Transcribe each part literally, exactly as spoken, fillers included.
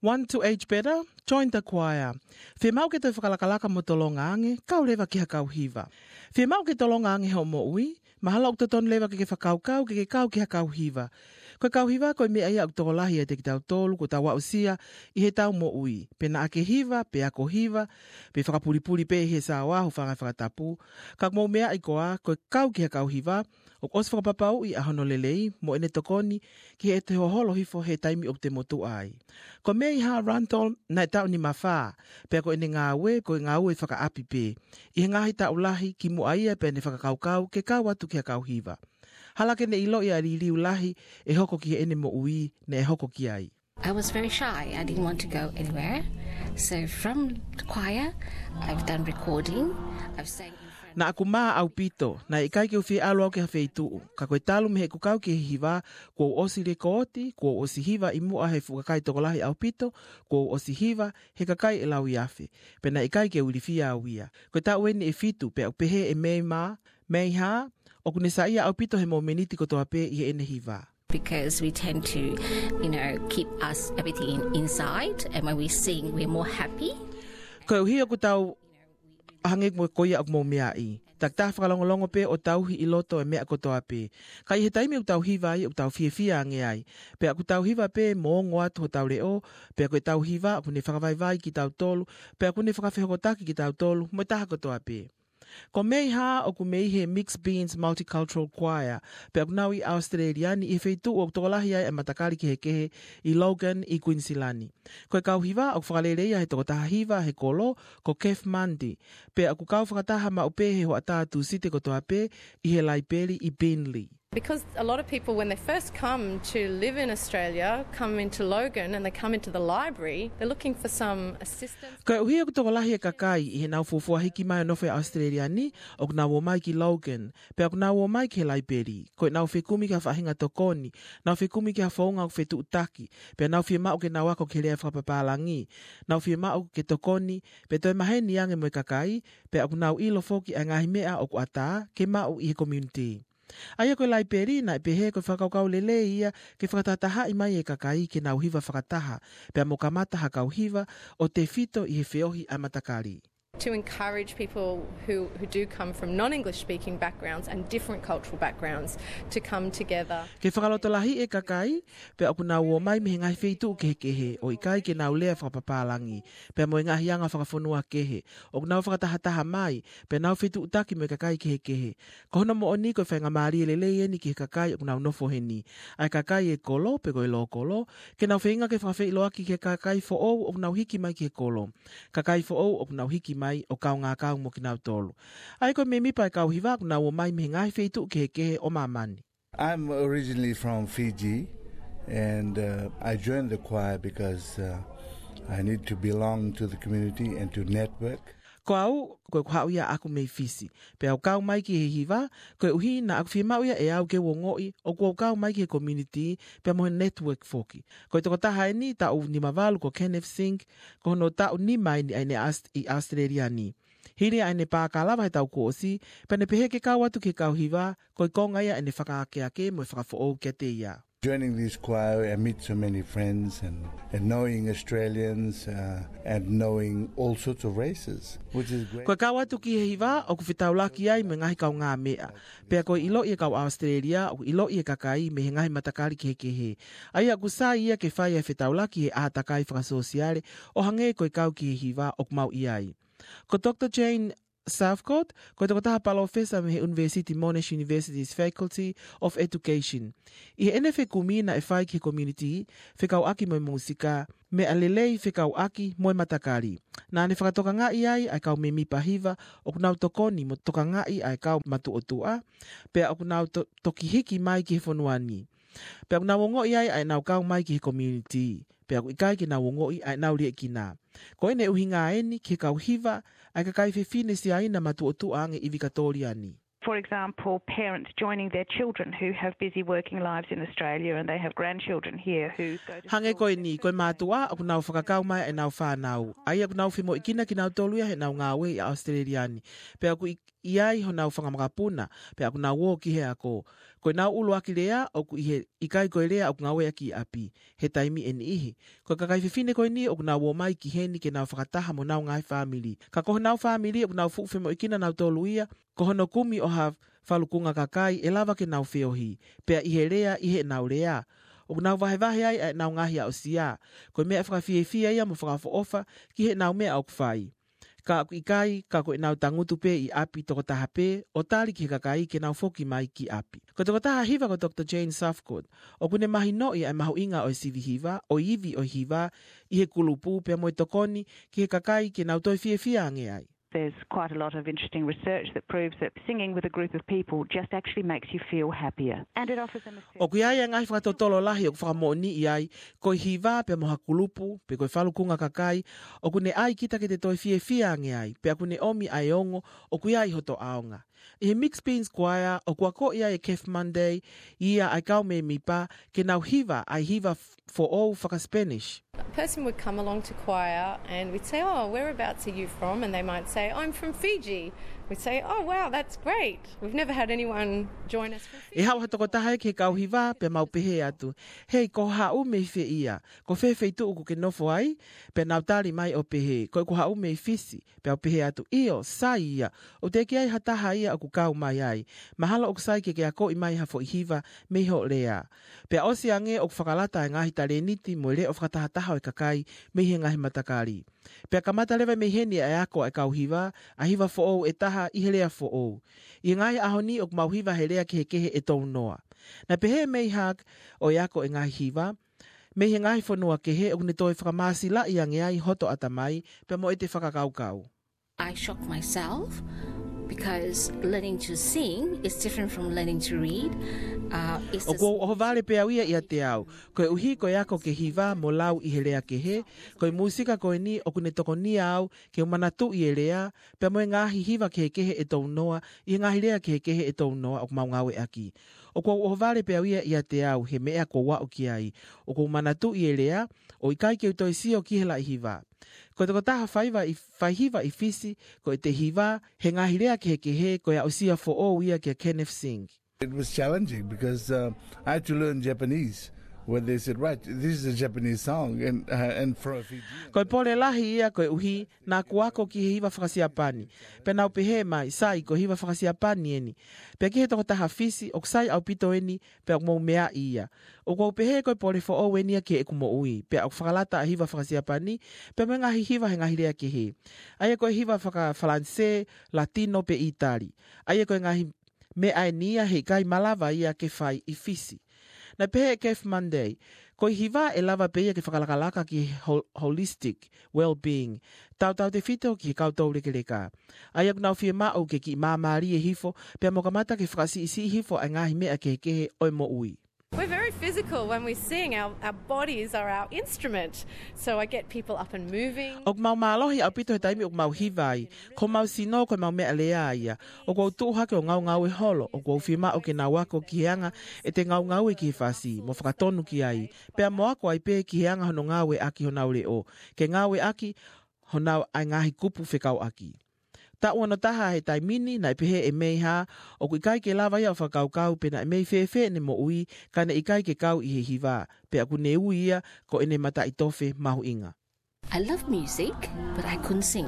Want to age better? Join the choir. Fiemaʻu ke toe fakalakalaka mo tolonga ange, kau leva ki ha kau hiva. Fiemaʻu ke tolonga ange hoʻo moʻui, mahalo ʻoku totonu leva ke ke fakakaukau ke ke kau ki ha kau hiva. Ko e kau hiva ko e meʻa ia ʻoku tokolahi ʻiate kitautolu kuo tau aʻusia ʻi heʻetau moʻui. Pe naʻa ke hiva, pe ako hiva, pe fakapulipuli pē he saoa ho fanga fakatapu. Ka ʻoku mou meaʻi koā, ko e kau ki ha kau hiva, ʻoku ʻosi fakapapauʻi ʻa hono lelei mo ʻene tokoni ki heʻete hoholo hifo he taimi ʻoku te motuʻa ai. Ko Meiha Randall naʻe taʻu nima fā, pea ko ʻene ngāue, ko e ngāue fakaʻapi pē. ʻI he ngaahi taʻu lahi kimuʻa ia pea ne fakakaukau ke kau atu ki ha kau hiva. Hala ke ne ʻiloʻi ʻa e liliu lahi ʻe hoko ki heʻene moʻui naʻe hoko ki ai. I was very shy. I didn't want to go anywhere. So from the choir, I've done recording. I've sang in front. Naʻa ku mā ʻaupito, naʻe ʻikai ke u fie ʻalu au ki ha feituʻu. Ka ko e talu mei heʻeku kau ki he hiva, kuo u ʻosi lekooti, kuo u ʻosi hiva ʻi muʻa he fuʻu kakai tokolahi ʻaupito, kuo u ʻosi hiva he kakai ʻe lauiafe. Pea naʻe ʻikai ke u ilifia au ia. Ko e taʻu eni ʻe fitu, pea ʻoku pehē ʻe Mei mā, Meiha, ʻoku ne saiʻia ʻaupito he momeniti kotoa pē ʻi heʻene hiva. Because we tend to, you know, keep us everything in, inside, and when we sing, we're more happy. Koeʻuhi ʻoku tau hangē ko ia ʻoku mou meaʻi. Takitaha fakalongolongo pē ʻo tauhi ʻi loto e meʻa kotoa pē. Ka ʻi he taimi ʻoku tau hiva ai, ʻoku tau fiefia ange ai. Pea ʻoku tau hiva pē mo ongo atu hotau leʻo, pea ko ʻetau hiva ʻoku ne fakavaivai kitautolu, pea ʻoku ne fakafehokotaki kitautolu mo e taha kotoa pē. Ko Meiha ʻoku mei he Mixed Beans Multicultural Choir, pea ʻoku nau ʻi ʻAositelēlia ni ʻi he feituʻu ʻoku tokolahi ai ʻa e matakali kehekehe ʻi Logan ʻi Kuinisilani. Ko e kau hiva ʻoku fakaleleia he tokotaha hiva he kolo, ko Kev Mundy, pea ʻoku kau fakataha maʻu pē he hoʻatā Tūsite kotoa pē ʻi he laipeli ʻi Beenleigh. Because a lot of people, when they first come to live in Australia, come into Logan and they come into the library, they're looking for some assistance. Koeʻuhi ʻoku tokolahi e kakai ʻi heʻenau fuofua hiki mai ʻo nofo ʻi ʻAositelēlia ni, ʻoku nau ō mai ki Logan, pea ʻoku nau ō mai ki he laipeli. Ko ʻenau fekumi ki ha faʻahinga tokoni, nau fekumi ki ha founga ʻoku fetuʻutaki, pea nau fiemaʻu ke nau ako ki he lea fakapapālangi, nau fiemaʻu ke tokoni, pea toe maheni ange mo e kakai, pea ʻoku nau ʻilo foki ʻa e ngaahi meʻa ʻoku ʻatā ke maʻu ʻi he community. ʻA ia ko e laipeli naʻe pehē ko e fakakaukau lelei ia ke fakatahatahaʻi mai e kakai ke nau hiva fakataha, pea mo kamata ha kau hiva ʻo tefito ʻi he feohi ʻa e matakali. To encourage people who, who do come from non-English speaking backgrounds and different cultural backgrounds to come together. Ke fakalotolahiʻi e kakai, pea ʻoku nau ō mai mei he ngaahi feituʻu kehekehe, ʻo ʻikai ke nau lea fakapapālangi, pea mo e ngaahi anga fakafonua kehe, ʻoku nau fakatahataha mai, pea nau fetuʻutaki mo e kakai kehekehe. Ko hono moʻoni ko e faingamālie lelei eni ki he kakai ʻoku nau nofo heni. ʻA e kakai e kolo, pe ko e lōkolo, ke nau feinga ke fakafeʻiloaki ki he kakai foʻou ʻoku nau hiki mai ki he kolo. Kakai foʻou ʻoku nau hiki mai ʻo kaungā kau mo kinautolu. ʻA ia ko e mēmipa e kau hiva ʻoku nau ō mai mei he ngaahi feituʻu kehekehe ʻo māmani. I'm originally from Fiji, and, uh, I joined the choir because, uh, I need to belong to the community and to network. Ko au, ko ʻeku haʻu ia ʻaʻaku mei Fisi. Pea u kau mai ki he hiva, koeʻuhi naʻa ku fiemaʻu ia ʻe au ke u ongoʻi ʻoku ou kau mai ki he community, pea mo e network foki. Ko e tokotaha eni, taʻu nima valu ko Kenneth Singh, ko hono taʻu nima eni ʻa ʻene ʻAos-, ʻi ʻAositelēlia ni. Hili ʻa ʻene pākalava he taʻu kuo ʻosi, pea ne pehē ke kau atu ki he kau hiva, ko e konga ia ʻene fakaakeake mo e fakafoʻou kiate ia. Joining this choir, I meet so many friends and, and knowing Australians, uh, and knowing all sorts of races, which is great. Ko e kau atu ki he hiva, ʻoku fetaulaki ai mo e ngaahi kaungāmeʻa. Pea ko e ʻiloʻi e kau ʻAositelēlia, ʻoku ʻiloʻi e kakai mei he ngaahi matakali kehekehe. ʻA ia ʻoku sai ia ke fai e fetaulaki he ʻātakai fakasōsiale, ʻo hangē ko e kau ki he hiva ʻoku mau ʻi ai. Ko Doctor Jane Southcott, ko e tokotaha palōfesa mei he ʻUnivēsiti Monash University's Faculty of Education. ʻI heʻene fekumi naʻe fai ki he community, fekauʻaki mo e mūsika, meʻa lelei fekauʻaki mo e matakali. Naʻa ne fakatokangaʻi ai ʻa e kau mēmipa hiva ʻoku nau tokoni mo tokangaʻi ʻa e kau matuʻotuʻa, pea ʻoku nau to-, toki hiki mai ki he fonua ni. Pea ʻoku nau ongoʻi ai ʻa ʻenau kau mai ki he community. Pea ʻoku ʻikai ke nau ongoʻi ʻa ʻenau liʻekina. Ko ʻene ʻuhinga eni ki he kau hiva, ʻa e kakai fefine Siaina matuʻotuʻa ange ivi Katōlia ni. For example, parents joining their children who have busy working lives in Australia and they have grandchildren here who go to school. Hangē ko eni, ko e mātuʻa ʻoku nau fakakau mai ʻenau fānau. ʻA ia ʻoku nau femoʻuekina kinautolu ia heʻenau ngāue ʻi ʻAositelēlia ni. Pea ʻoku ʻi-, ʻi ai honau fanga makapuna, pea ʻoku nau ō ki he ako. Ko ʻenau ʻuluaki lea, ʻoku ʻi he ʻikai ko e lea ʻoku ngāueʻaki ʻi ʻapi, he taimi ʻe niʻihi. Ko e kakai fefine ko eni ʻoku nau ō mai ki heni ke nau fakataha mo honau ngaahi fāmili. Ka ko honau fāmili ʻoku nau fuʻu femoʻuekina nautolu ia, ko hono kumi ʻo ha falukunga kakai ʻe lava ke nau feohi, pea ʻi he lea, ʻi heʻenau lea. ʻOku nau vahevahe ai ʻa ʻenau ngaahi aʻusia. Ko e meʻa fakafiefia ia mo fakaʻofoʻofa ki heʻenau meʻa ʻoku fai. Ka ʻoku ʻikai, ka ko ʻenau tangutu pē ʻi ʻapi tokotaha pē, ʻo tali ki he kakai ke nau foki mai ki ʻapi. Ko e tokotaha hiva ko Doctor Jane Southcott, ʻoku ne mahinoʻi ʻa e mahuʻinga ʻo e sivi hiva, ʻo e ivi ʻo e hiva, ʻi he kulupu pea mo e tokoni ki he kakai ke nau toe fiefia ange ai. There's quite a lot of interesting research that proves that singing with a group of people just actually makes you feel happier. And it offers them a sense ʻOku ʻi ai e ngaahi fakatotolo lahi ʻoku fakamoʻoniʻi ai, ko e hiva pea mo ha kulupu, pe ko e falukunga kakai, ʻoku ne ʻai kita ke te toe fiefia ange ai, pea ʻoku ne ʻomi ʻa e ongo ʻoku ʻi ai hoto ʻaonga. ʻI he Mixed Beans Choir, ʻoku akoʻi ai ʻe Kev Munday ia ʻa e kau mēmipa ke nau hiva ʻa e hiva f-, foʻou faka-Spanish. A person would come along to choir and we'd say, "Oh, whereabouts are you from?" And they might say, "I'm from Fiji." We'd say, "Oh, wow, that's great. We've never had anyone join us from Fiji." ʻE haʻu ha tokotaha ia ki he kau hiva, pea mau pehē atu, "Hei, ko hoʻo haʻu mei fē ia? Ko fē feituʻu ʻoku ke nofo ai?" Pea nau tali mai ʻo pehē, "Ko ʻeku haʻu mei Fisi." Pea u pehē atu, "ʻIo, sai ia. ʻOku teʻeki ai ha taha ia ʻoku kau mai ai. Mahalo ʻoku sai ke ke akoʻi mai ha foʻi hiva mei hoʻo lea." Pea ʻosi ange ʻoku fakalata e ngaahi talēniti mo e leʻo fakatahataha ʻo e kakai mei he ngaahi matakali. Pea kamata leva mei heni ʻa e ako ʻa e kau hiva, ʻa e hiva foʻou ʻe taha ʻi he lea foʻou. ʻI he ngaahi ʻaho ni ʻoku mau hiva he lea kehekehe ʻe tolu noa. Naʻe pehē ʻe May Hug, ʻo e ako e ngaahi hiva, mei he ngaahi fonua kehe ʻoku ne toe fakamāsilaʻi ange ai hoto ʻatamai, pea mo ʻete fakakaukau. I shock myself because learning to sing is different from learning to read. Uh, it's a ʻOku ou ʻohovale pē au ia ʻiate au. Koeʻuhi ko e ako ke hiva mo lau ʻi he lea kehe, ko e mūsika ko eni ʻoku ne tokonia au ke u manatuʻi e lea, pea mo e ngaahi hiva kehekehe ʻe tolu noa, ʻi he ngaahi lea kehekehe ʻe tolu noa ʻoku mau ngāueʻaki. ʻOku ou ʻohovale pē au ia ʻiate au he meʻa kuo u aʻu ki ai. ʻOku ou manatuʻi e lea, ʻo ʻikai ke u toe sio ki he laʻi hiva. Ko e tokotaha faiva ʻi, faihiva ʻi Fisi, ko ʻete hiva he ngaahi lea kehekehe, ko e aʻusia foʻou ia kia Kenneth Singh. It was challenging because uh, I had to learn Japanese. Where they said, "Right, this is a Japanese song," and uh, and for a Fijian. Ko e pole lahi ia koeʻuhi naʻa ku ako ki he hiva fakasiapani. Pea nau pehē mai, "Sai, ko e hiva fakasiapani eni." Pea ki he tokotaha Fisi, "ʻOku sai ʻaupito eni, pea ʻoku mou meaʻi ia." ʻOku ou pehē ko e pole foʻou eni ia ki heʻeku moʻui, pea ʻoku fakalata ʻa e hiva fakasiapani, pea mo e ngaahi hiva he ngaahi lea kehe. ʻA ia ko e hiva faka-Falanisē, Latino pe ʻItali. ʻA ia ko e ngaahi meʻa eni ia he ʻikai malava ia ke fai ʻi Fisi. Naʻe pehē ʻe Kev Munday, "Ko e hiva ʻe lava pē ia ke fakalakalaka ki he hol-, holistic well-being, tautautefito ki he kau toulekeleka. ʻA ia ʻoku nau fiemaʻu ke kiʻi māmālie hifo, pea mo kamata ke fakasiʻisiʻi hifo ʻa e ngaahi meʻa kehekehe ʻo e moʻui." We're very physical when we sing. Our, our bodies are our instrument. So I get people up and moving. ʻOku mau mālohi ʻaupito he taimi ʻoku mau hiva ai. Ko homau sino ko ʻemau meʻalea ia. ʻOku ou tuʻu hake ʻo ngaungaue holo. ʻOku ou fiemaʻu ke nau ako ki he anga ʻete ngaungaue ki he fasi, mo fakatonu ki ai. Pea mo ako ai pē ki he anga hono ngāueʻaki honau leʻo, ke ngāueʻaki honau ʻa e ngaahi kupu fekauʻaki. Taʻu ono taha he taimi ni, naʻe pehē ʻe May Hug, ʻoku ʻikai ke lava ia ʻo fakakaukau pe naʻe mei fēfē ʻene moʻui, ka ne ʻikai ke kau ʻi he hiva, pea ʻoku ne ui ia ko ʻene mataʻitofe mahuʻinga. I love music, but I couldn't sing.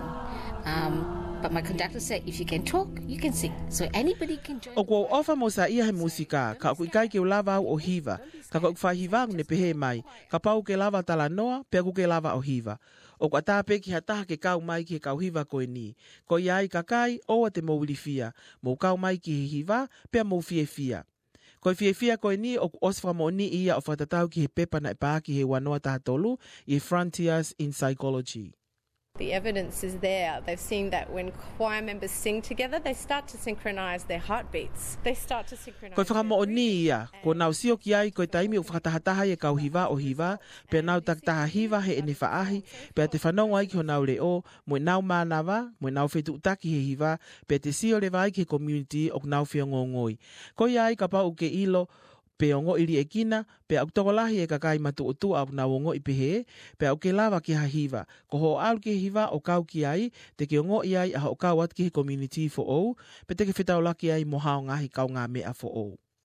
Um, but my conductor said, "If you can talk, you can sing." So anybody can join. ʻOku ou ʻofa mo saiʻia he mūsika, ka ʻoku ʻikai ke u lava au ʻo hiva. Ka ko ʻeku faihiva ʻoku ne pehē mai, "Kapau ʻoku ke lava talanoa, pea ʻoku ke lava ʻo hiva." ʻOku ʻatā pē ki ha taha ke kau mai ki he kau hiva ko eni. Ko ia ai kakai, ʻoua te mou ilifia. Mou kau mai ki he hiva, pea mou fiefia. Ko e fiefia ko eni ʻoku ʻosi fakamoʻoniʻi ia ʻo fakatatau ki he pepa naʻe paaki he ua noa taha tolu ʻi he Frontiers in Psychology. The evidence is there. They've seen that when choir members sing together, they start to synchronize their heartbeats. They start to synchronize Ko e fakamoʻoni ia, kuo nau sio ki ai ko e taimi ʻoku fakatahataha ai e kau hiva ʻo hiva, pea nau takitaha hiva heʻene faʻahi, pea te fanongo ai ki honau leʻo, mo ʻenau mānava, mo ʻenau fetuʻutaki he hiva, pea te sio leva ai ki he community ʻoku nau feongoongoi. Ko ia ai kapau ʻoku ke ʻilo, pe ongoʻi liʻekina, pea ʻoku tokolahi e kakai matuʻotuʻa ʻoku nau ongoʻi pehē, pea ʻoku ke lava ke ha hiva. Ko hoʻo ʻalu ki he hiva ʻo kau ki ai, te ke ongoʻi ai ʻa hoʻo kau atu ki he community foʻou, pea te ke fetaulaki ai mo hao ngaahi kaungāmeʻa foʻou.